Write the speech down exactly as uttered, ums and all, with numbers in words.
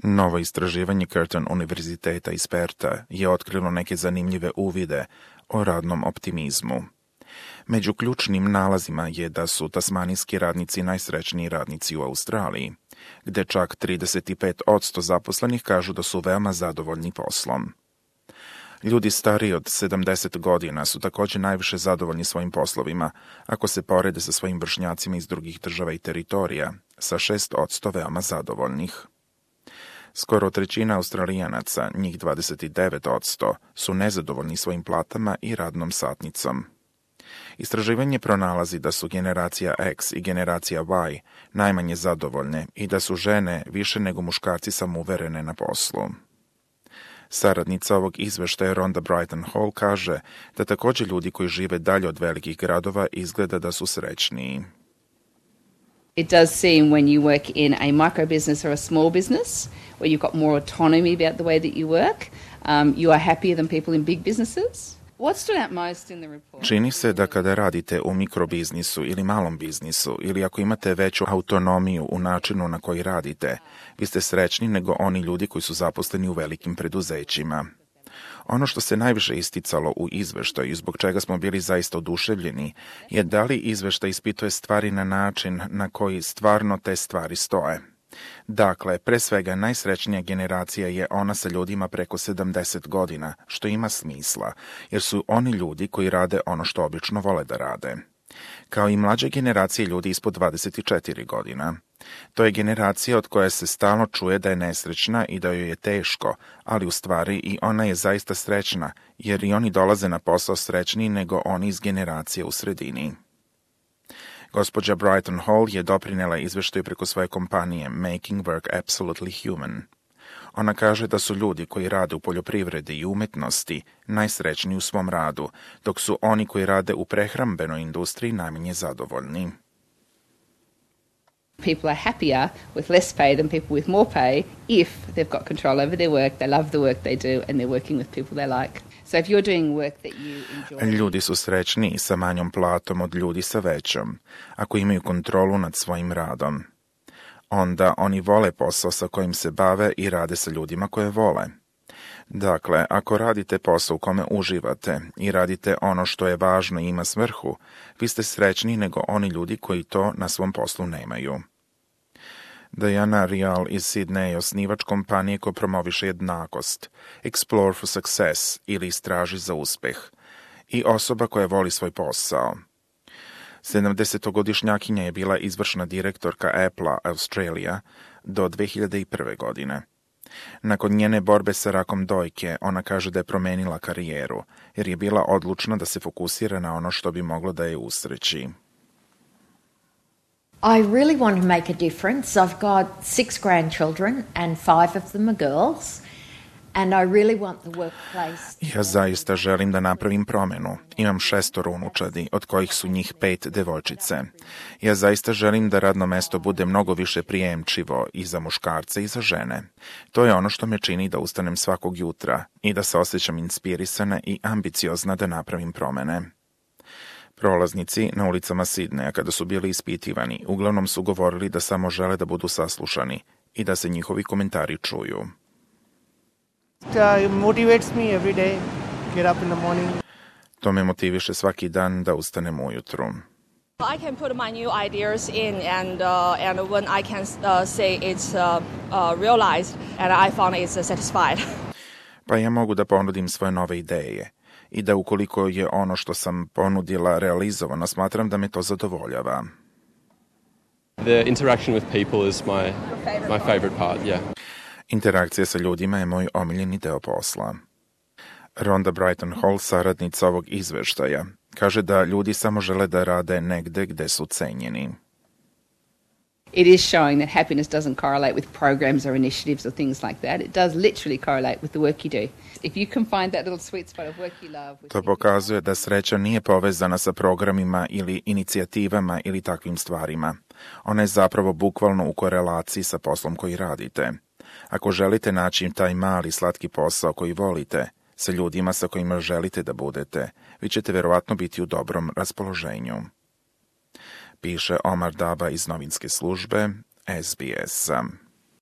Novo istraživanje Curtin univerziteta iz Perta je otkrilo neke zanimljive uvide o radnom optimizmu. Među ključnim nalazima je da su tasmanijski radnici najsrećniji radnici u Australiji, gde čak trideset pet posto zaposlenih kažu da su veoma zadovoljni poslom. Ljudi stariji od sedamdeset godina su također najviše zadovoljni svojim poslovima, ako se porede sa svojim vršnjacima iz drugih država i teritorija, sa šest posto veoma zadovoljnih. Skoro trećina Australijanaca, njih dvadeset devet posto, su nezadovoljni svojim platama i radnom satnicom. Istraživanje pronalazi da su generacija X i generacija Y najmanje zadovoljne i da su žene više nego muškarci samouverene na poslu. Saradnica ovog izveštaja Rhonda Brighton Hall kaže da također ljudi koji žive dalje od velikih gradova izgleda da su srećniji. It does seem when you work in a micro business or a small business, where you've got more autonomy about the way that you work, um, you are happier than people in big businesses. What stood out most in the report? Čini se da kada radite u mikrobiznisu ili malom biznisu, ili ako imate veću autonomiju u načinu na koji radite, vi ste srećni nego oni ljudi koji su zaposleni u velikim preduzećima. Ono što se najviše isticalo u izveštaju i zbog čega smo bili zaista oduševljeni je da li izveštaj ispituje stvari na način na koji stvarno te stvari stoje. Dakle, pre svega najsrećnija generacija je ona sa ljudima preko sedamdeset godina, što ima smisla, jer su oni ljudi koji rade ono što obično vole da rade. Kao i mlađe generacije ljudi ispod dvadeset četiri godina. To je generacija od koje se stalno čuje da je nesrećna i da joj je teško, ali u stvari i ona je zaista srećna, jer i oni dolaze na posao srećniji nego oni iz generacije u sredini. Gospođa Brighton Hall je doprinela izveštaju preko svoje kompanije Making Work Absolutely Human. Ona kaže da su ljudi koji rade u poljoprivredi i umetnosti najsrećniji u svom radu, dok su oni koji rade u prehrambenoj industriji najmanje zadovoljni. People are happier with less pay than people with more pay if they've got control over their work, they love the work they do, and they're working with people they like. So if you're doing work that you enjoy... Ljudi su srećniji sa manjom platom od ljudi sa većom, ako imaju kontrolu nad svojim radom. Onda oni vole posao sa kojim se bave i rade sa ljudima koje vole. Dakle, ako radite posao u kome uživate i radite ono što je važno i ima svrhu, vi ste srećni nego oni ljudi koji to na svom poslu nemaju. Diana Rial iz Sidneja, osnivač kompanije koja promoviše jednakost, Explore for Success ili Istraži za uspeh, i osoba koja voli svoj posao. sedamdesetogodišnjakinja je bila izvršna direktorka Apple Australia do dve hiljade prve. godine. Nakon njene borbe sa rakom dojke, ona kaže da je promenila karijeru, jer je bila odlučna da se fokusira na ono što bi moglo da je usreći. I really want to make a difference. I've got six grandchildren and five of them are girls. And I really want the workplace... Ja zaista želim da napravim promenu. Imam šestoro unučadi, od kojih su njih pet devojčice. Ja zaista želim da radno mesto bude mnogo više prijemčivo i za muškarce i za žene. To je ono što me čini da ustanem svakog jutra i da se osjećam inspirisana i ambiciozna da napravim promene. Prolaznici na ulicama Sidneja, kada su bili ispitivani, uglavnom su govorili da samo žele da budu saslušani i da se njihovi komentari čuju. It motivates me every day. Get up in the morning. To me motiviše svaki dan da ustanem ujutru. I can put my new ideas in, and uh, and when I can uh, say it's uh, uh, realized, and I found it's uh, satisfied. Pa ja mogu da ponudim svoje nove ideje i da ukoliko je ono što sam ponudila realizovano, smatram da me to zadovoljava. The interaction with people is my my favorite part, yeah. Interakcija sa ljudima je moj omiljeni deo posla. Rhonda Brighton Hall, saradnica ovog izveštaja, kaže da ljudi samo žele da rade negde gde su cenjeni. It is showing that happiness doesn't correlate with programs or initiatives or things like that. It does literally correlate with the work you do. If you can find that little sweet spot of work you love... To pokazuje da sreća nije povezana sa programima ili inicijativama ili takvim stvarima. Ona je zapravo bukvalno u korelaciji sa poslom koji radite. Ako želite naći taj mali slatki posao koji volite, sa ljudima sa kojima želite da budete, vi ćete verovatno biti u dobrom raspoloženju. Piše Omar Daba iz novinske službe S B S.